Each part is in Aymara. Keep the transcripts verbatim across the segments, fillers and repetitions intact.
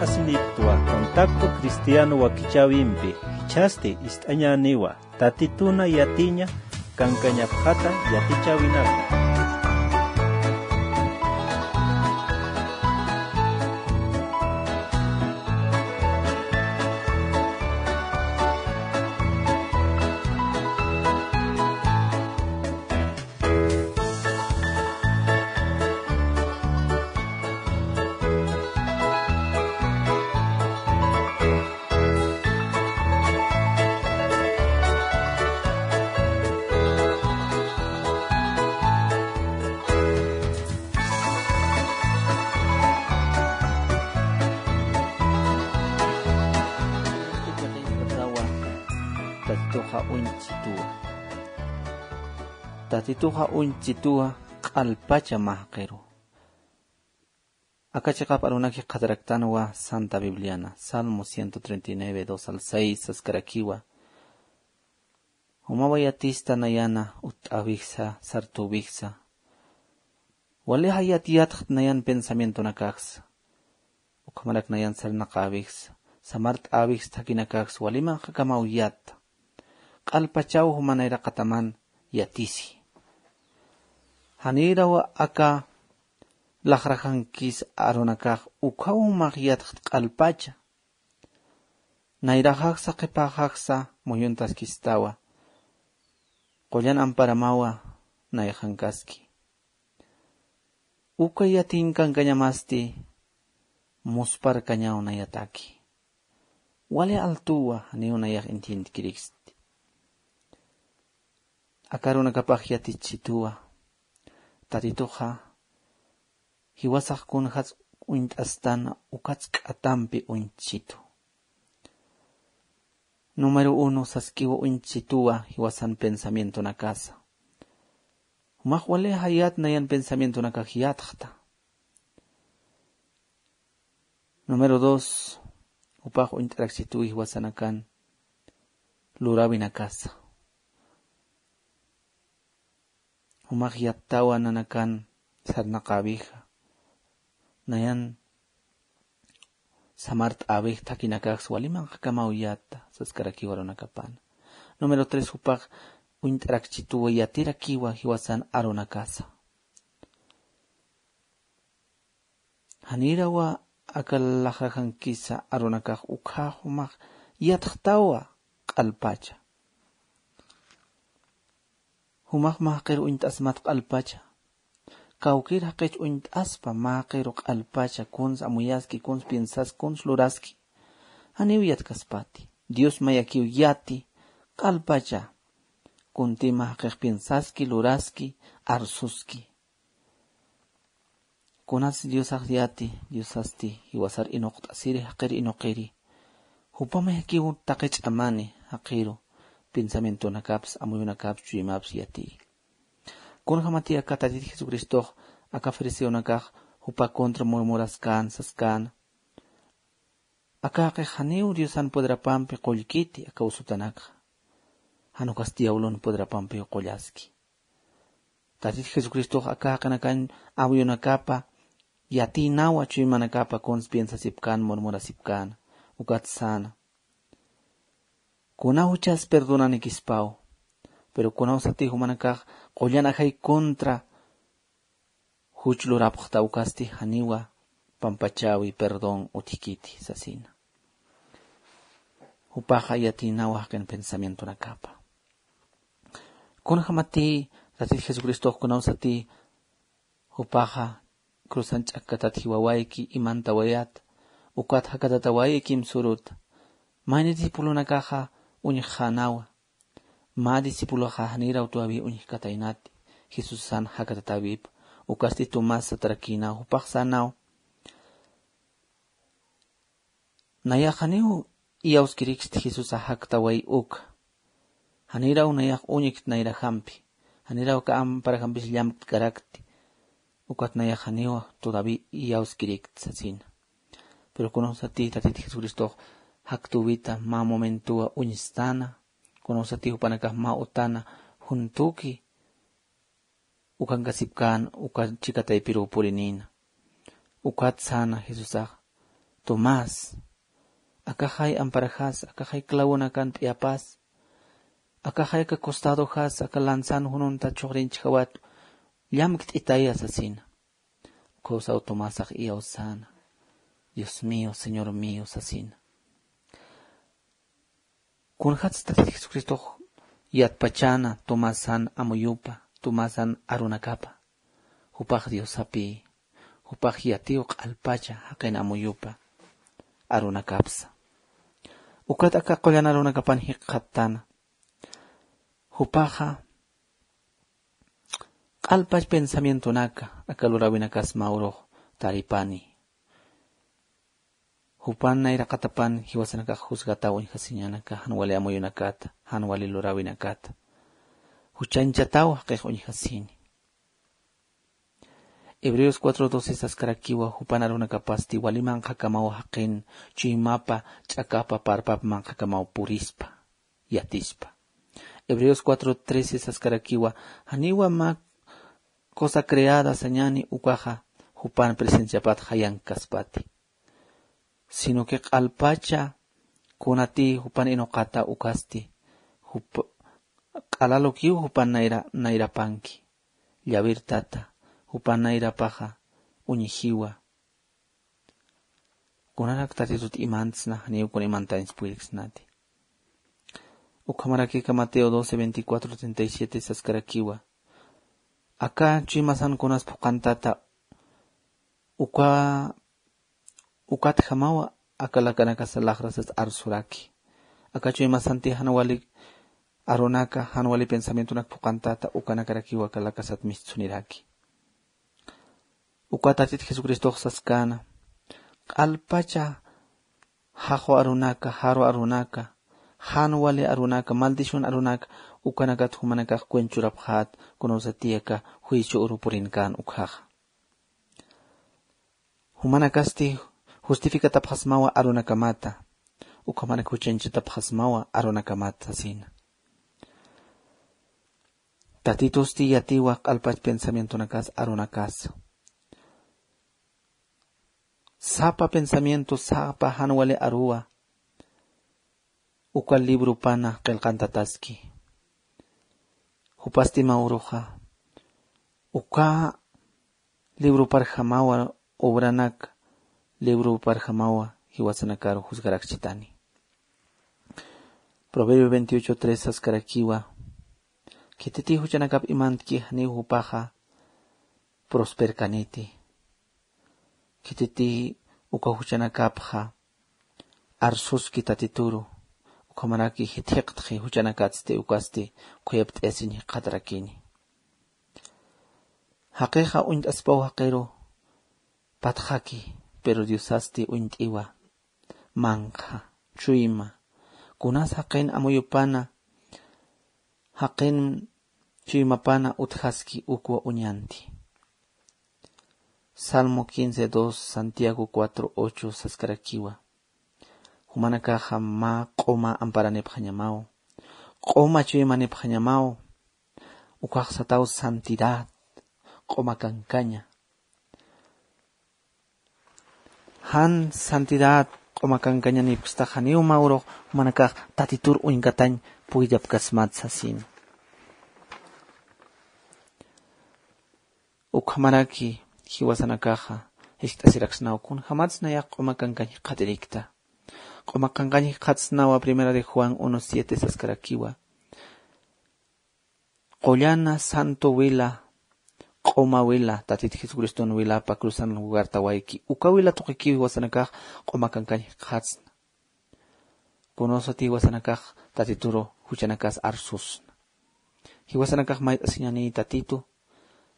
Asiniptwa Contacto Cristiano wakichäwimpi jichhasti ist'añäniwa, Tatituna yatiña kankañapxata yatichäwinaka. Tatituxa uñchituwa. Tatituxa uñchituwa q'alpacha mä jaqiru. Aka chiqap arunaki qhataraktanwa Santa Bibliana, Salmo ciento treinta y nueve, dos al seis, saskarakiwa. Jumawa yatista nayana utt'äwiksa, sartüwiksa. Walixa yat yatxt nayan pensamientonakaksa. Ukhamarak nayan sarnaqäwiksa, samart'äwiksa thakhinakaksa walimanqakamaw yat. Q'alpachaw juma nayraqataman yatisi. Janiraw aka laxrajankis arunakax ukhaw jumax yatxt q'alpacha. Nayraxaksa qhipaxaksa muyuntaskistawa. Qullan amparamawa nayxankaski. Uka yatinkankañamasti musparkañaw nayataki. Wali altuwa janiw nayax entiendkiriksti. Aka arunakapax yatichituwa. Tatituxa jiwasax kunjats uñt'astan ukats k'atampi uñchitu. Número uno, saskiwa uñchituwa jiwasan pensamientonakasa. Jumax wali jayat nayan pensamientonakax yatxta. Número dos, jupax uñt'arakchituwi jiwasanakan luräwinakasa. Jumax yattawa nanakan sarnaqäwixa. Nayan samart'äwix thakhinakaksa walimanqakamaw yatta saskarakiwa arunakapana. Número tres, jupax uñt'arakchituwa yatirakiwa jiwasan arunakasa. Janirawa aka laxrajankisa arunakax ukhax jumax yatxtawa q'alpacha. Jumax mä jaqiru uñt'asmat q'alpacha. Kawkïr jaqich uñt'aspa mä jaqiru q'alpacha, kuns amuyaski, kuns piensaski, kuns luraski. Janiw yatkaspati. Dios mayakiw yati q'alpacha. Kunti mä jaqix piensaski, luraski, arsuski. Kunatsti Diosax yati, Diosasti jiwasar inuqt'asiri, jaqir inuqiri. Jupa mayakiw taqi ch'amani jaqiru pensamientonakaps, amuyunakaps, chuymaps yatiyi. Kunjamati aka Tatit Jesucristox aka fariseonakax jupa contra murmuraskän, saskän. Aka jaqix janiw Diosan poderapampi qullkiti aka usutanakxa. Jan ukas diablon poderapampiw qullaski. Tatit Jesucristox aka jaqinakan amuyunakapa yatïnawa, chuymanakapa kuns piensasipkän, murmurasipkän, ukat säna. Kuna juchas perdonanikispaw, pero kunawsati jumanakax qullan ajay contra juch lurapxta ukasti janiwa pampachäwi perdón utjkiti sasina. Jupaxa yatïnawa jaqin pensamientonakapa. Kunjamati Tatit Jesucristox kunawsati jupaxa cruzan ch'akkatat jiwawayki, imantawayat, ukat jakatatawaykim suruta. Mayni discipulonakaxa uñjxänawa. Mä discipuloxa janiraw todavía uñjkataynati Jesusan jakatatäwipa, ukasti Tomás satarakïnaw, jupax sänaw. Nayax janiw iyawskiriksti Jesusa jaktaway uk. Janiraw nayax uñikt nayrajampi. Janiraw aka amparajampi llamtkarakti. Ukat nayax janiw todavía iyawskirikti sasina. Pero kunawsati Tatit Jesucristox jaktüwita mä momentowa uñstana. Kunawsati jupanakax mä utana juntuki ukankasipkän, uka chika taypiruw purinïna. Ukat säna Jesusax, Tomás, akaxay amparaxas, akaxay clavonakan p'iapas, akaxay aka costadoxas, aka lanzan jununta chuxrinchjawat, llamkt'itaya sasina. Ukawsaw Tomasax iyawsäna, Dios mío, Señor mío sasina. Kunjats Tatit Jesucristox yatpachäna Tomasan amuyupa, Tomasan arunakapa, jupax Diosapï, jupax yatiw q'alpacha jaqin amuyupa arunakapsa. Ukat aka qullan arunakapan jikxattana. Jupaxa q'alpach pensamientonaka aka luräwinakas mä urux taripani. Jupan nayraqatapan jiwasanakax juzgataw uñjasiñanaka jan wali amuyunakata, jan wali luräwinakata. Juchañchataw jaqix uñjasini. Hebreos cuatro doce saskarakiwa jupan arunakapasti wali manqhakamaw jaqin chuymapa ch'akapa parpap manqhakamaw purispa, yatispa. Hebreos cuatro trece saskarakiwa janiwa mä cosa creada sañani ukaxa jupan presenciapat jayankaspati. Sino que q'alpacha kunatï jupan inuqata ukasti, jup-, q'alalukiw jupan nayra-, nayrapanki, llawir tata, jupan nayrapaxa uñjiwa. Kunarak Tatitut imantsna, janiw kun imantañs puyriksnati. Ukhamaraki aka Mateo doce veinticuatro treinta y siete saskarakiwa. Aka chuymasan kunas phuqantata, uka, ukatjamawa aka lakanakas laxrasas arsuraki. Aka chuymasanti jan wali arunaka, jan wali pensamientonak phuqantata, ukanakarakiwa aka lakasat mistsuniraki. Uka Tatit Jesucristox saskäna, q'alpacha jaxu arunaka, jaru arunaka, jan wali arunaka, maldición arunaka, ukanakat jumanakax cuenchurapxät, kunasatï aka juicio uru purinkän ukhaxa. Jumanakasti justificatapxasmawa arunakamata, ukhamanak juchañchatapxasmawa arunakamata sasina. Tatitusti yatiwa q'alpach pensamientonakas arunakasa. Sapa pensamiento, sapa jan wali aruwa uka libropana qillqantataski. Jupasti mä uruxa uka libroparjamawa, obranak libroparjamawa jiwasanakaru juzgarakchitani. Proverbio veintiocho tres saskarakiwa, khititï juchanakap imantki janiw jupaxa prosperkaniti. Khititï uka juchanakapxa arsuski Tatituru, ukhamaraki jithiqtxi juchanakatsti ukasti khuyapt'ayasiñ jikxatarakini. Jaqixa uñt'aspaw jaqiru patxaki, pero Diosasti uñt'iwa, manqha, chuyma, kunas jaqin amuyupana, jaqin chuymapana utjaski ukwa uñanti. Salmo quince dos, Santiago cuatro ocho saskarakiwa. Jumanakaxa mä q'uma amparanipxañamaw, q'uma chuymanipxañamaw, ukax sataw santidad, q'uma kankaña. Jan santidad q'uma kankañanipkstax janiw mä urux jumanakax Tatitur uñkatañ puyllapkasmat sasina. Ukhamaraki jiwasanakaxa jiskt'asiraksnaw kunjamatsa nayax q'uma kankañ jikxatirikta. Q'uma kankañ jikxatsnawa Primera de Juan uno siete saskarakiwa. Qullana santo wila, q'uma wila, Tatit Jesucriston wilapa cruzan lugartawayki. Uka wila tuqikiw jiwasanakax q'uma kankañ jikxatsna. Kunasatï jiwasanakax Tatituru juchanakas arsusna. Jiwasanakax mayt'asiñani Tatitu,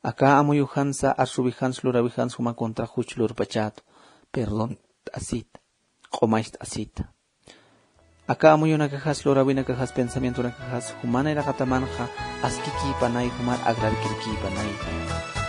aka amuyujansa, arsuwijansa, luräwijansa juma contra juch lurpachätu, perdont'asita, q'umacht'asita. Aka amuyunakajas, luräwinakajas, pensamientonakajas juman iraqatamanxa askikïpanay, juman agradkirkïpanay.